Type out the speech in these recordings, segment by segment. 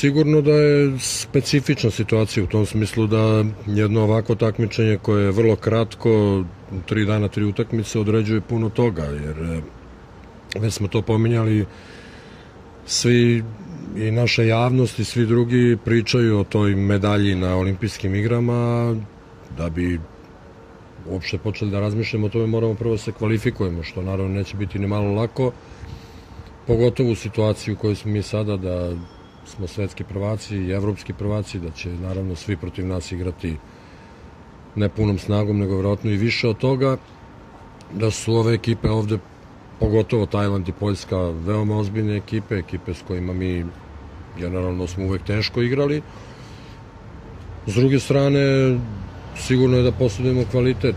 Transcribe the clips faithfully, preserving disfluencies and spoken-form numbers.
sigurno da je specifična situacija u tom smislu da jedno ovako takmičenje koje je vrlo kratko, tri dana, tri utakmice, određuje puno toga, jer već smo to pominjali, svi i naša javnost i svi drugi pričaju o toj medalji na olimpijskim igrama. Da bi uopšte počeli da razmišljamo o tome, moramo prvo se kvalifikujemo, što naravno neće biti ni malo lako, pogotovo u situaciji u kojoj smo mi sada, da smo svetski prvaci i evropski prvaci, da će naravno svi protiv nas igrati ne punom snagom, nego vjerojatno i više od toga, da su ove ekipe ovde, pogotovo Tajland i Poljska, veoma ozbiljne ekipe, ekipe s kojima mi generalno smo uvek teško igrali. S druge strane, sigurno je da posjedujemo kvalitet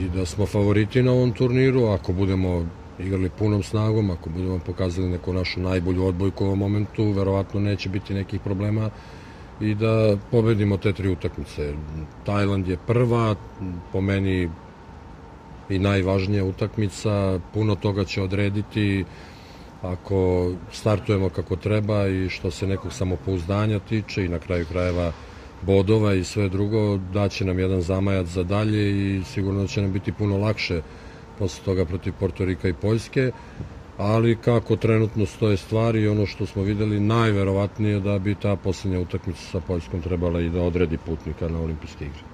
i da smo favoriti na ovom turniru. Ako budemo igrali punom snagom, ako budemo pokazali neku našu najbolju odbojku u ovom momentu, verovatno neće biti nekih problema i da pobedimo te tri utakmice. Tajland je prva, po meni i najvažnija utakmica, puno toga će odrediti ako startujemo kako treba i što se nekog samopouzdanja tiče i na kraju krajeva bodova i sve drugo, daće nam jedan zamajac za dalje i sigurno da će nam biti puno lakše posle toga protiv Portorika i Poljske, ali kako trenutno stoje stvari i ono što smo videli, najverovatnije da bi ta poslednja utakmica sa Poljskom trebala i da odredi putnika na olimpijske igre.